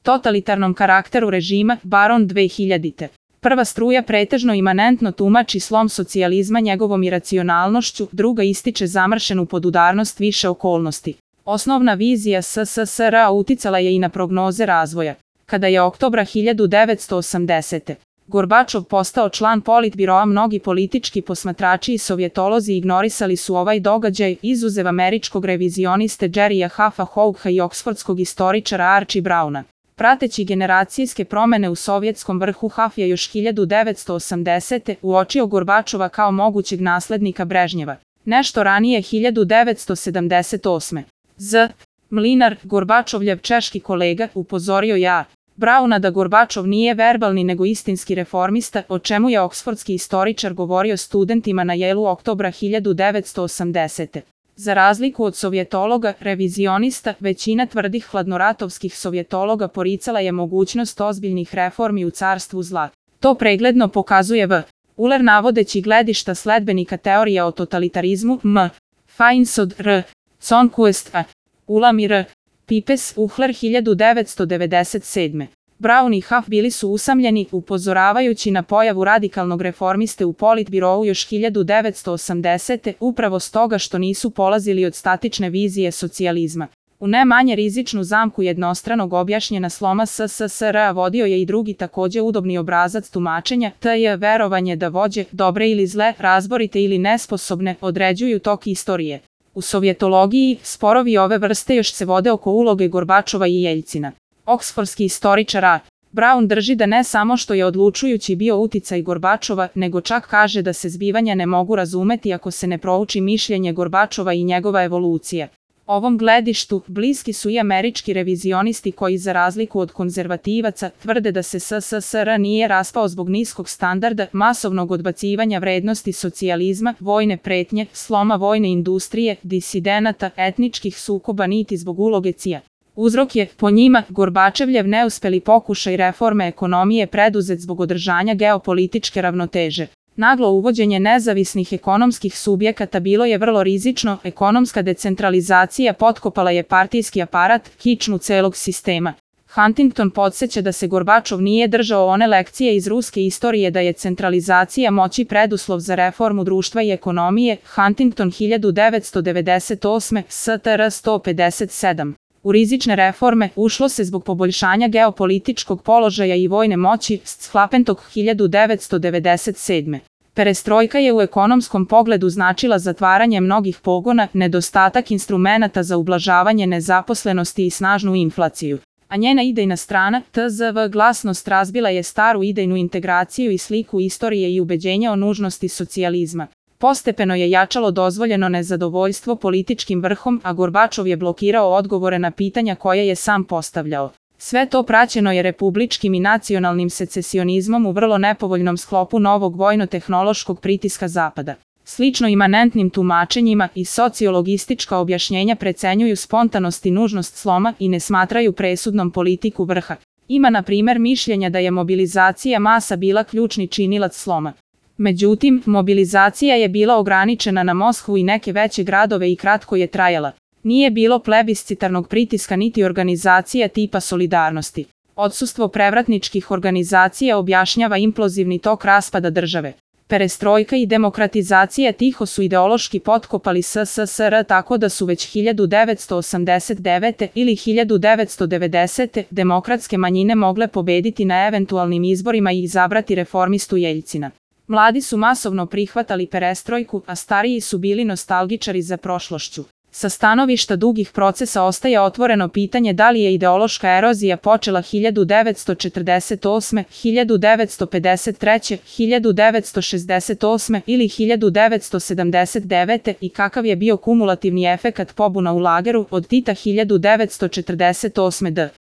totalitarnom karakteru režima, Baron 2000. Prva struja pretežno imanentno tumači slom socijalizma njegovom iracionalnošću, druga ističe zamršenu podudarnost više okolnosti. Osnovna vizija SSSR-a uticala je i na prognoze razvoja. Kada je oktobra 1980. Gorbačov postao član politbiroa, mnogi politički posmatrači i sovjetolozi ignorisali su ovaj događaj, izuzev američkog revizioniste Jerrya Huffa Hougha i oksfordskog istoričara Archie Browna. Prateći generacijske promene u sovjetskom vrhu, Huff je još 1980. uočio Gorbačova kao mogućeg naslednika Brežnjeva. Nešto ranije 1978. Z. Mlinar, Gorbačovljev češki kolega, upozorio je Browna da Gorbačov nije verbalni nego istinski reformista, o čemu je oksfordski istoričar govorio studentima na Yale-u oktobra 1980. Za razliku od sovjetologa, revizionista, većina tvrdih hladnoratovskih sovjetologa poricala je mogućnost ozbiljnih reformi u carstvu zla. To pregledno pokazuje V. Uller navodeći gledišta sledbenika teorija o totalitarizmu M. Feinsod R. Zonquist A. Ulam i R. Pipes Uhler 1997. Brown i Huff bili su usamljeni, upozoravajući na pojavu radikalnog reformiste u politbirovu još 1980. upravo stoga što nisu polazili od statične vizije socijalizma. U ne manje rizičnu zamku jednostranog objašnjena sloma SSSR-a vodio je i drugi takođe udobni obrazac tumačenja, to je verovanje da vođe, dobre ili zle, razborite ili nesposobne, određuju tok istorije. U sovjetologiji, sporovi ove vrste još se vode oko uloge Gorbačova i Jeljcina. Oksfordski istoričar A. Brown drži da ne samo što je odlučujući bio uticaj Gorbačova, nego čak kaže da se zbivanja ne mogu razumeti ako se ne prouči mišljenje Gorbačova i njegova evolucija. Ovom gledištu bliski su i američki revizionisti koji, za razliku od konzervativaca, tvrde da se SSSR nije raspao zbog niskog standarda, masovnog odbacivanja vrednosti socijalizma, vojne pretnje, sloma vojne industrije, disidenata, etničkih sukoba niti zbog uloge CIA. Uzrok je, po njima, Gorbačevljev neuspeli pokušaj reforme ekonomije preduzet zbog održanja geopolitičke ravnoteže. Naglo uvođenje nezavisnih ekonomskih subjekata bilo je vrlo rizično, ekonomska decentralizacija potkopala je partijski aparat, kičmu celog sistema. Huntington podsjeća da se Gorbačov nije držao one lekcije iz ruske istorije da je centralizacija moći preduslov za reformu društva i ekonomije, Huntington 1998, STR 157. U rizične reforme ušlo se zbog poboljšanja geopolitičkog položaja i vojne moći, Schlapentog 1997. Perestrojka je u ekonomskom pogledu značila zatvaranje mnogih pogona, nedostatak instrumenata za ublažavanje nezaposlenosti i snažnu inflaciju. A njena idejna strana, TZV glasnost, razbila je staru idejnu integraciju i sliku istorije i ubeđenja o nužnosti socijalizma. Postepeno je jačalo dozvoljeno nezadovoljstvo političkim vrhom, a Gorbačov je blokirao odgovore na pitanja koje je sam postavljao. Sve to praćeno je republičkim i nacionalnim secesionizmom u vrlo nepovoljnom sklopu novog vojno-tehnološkog pritiska Zapada. Slično imanentnim tumačenjima i sociologistička objašnjenja precenjuju spontanost i nužnost sloma i ne smatraju presudnom politiku vrha. Ima, na primer, mišljenja da je mobilizacija masa bila ključni činilac sloma. Međutim, mobilizacija je bila ograničena na Moskvu i neke veće gradove i kratko je trajala. Nije bilo plebiscitarnog pritiska niti organizacija tipa Solidarnosti. Odsustvo prevratničkih organizacija objašnjava implozivni tok raspada države. Perestrojka i demokratizacija tiho su ideološki potkopali SSSR tako da su već 1989. ili 1990. demokratske manjine mogle pobediti na eventualnim izborima i izabrati reformistu Jeljcina. Mladi su masovno prihvatali perestrojku, a stariji su bili nostalgičari za prošlošću. Sa stanovišta dugih procesa ostaje otvoreno pitanje da li je ideološka erozija počela 1948., 1953., 1968. ili 1979. i kakav je bio kumulativni efekat pobuna u lageru od Tita 1948. d.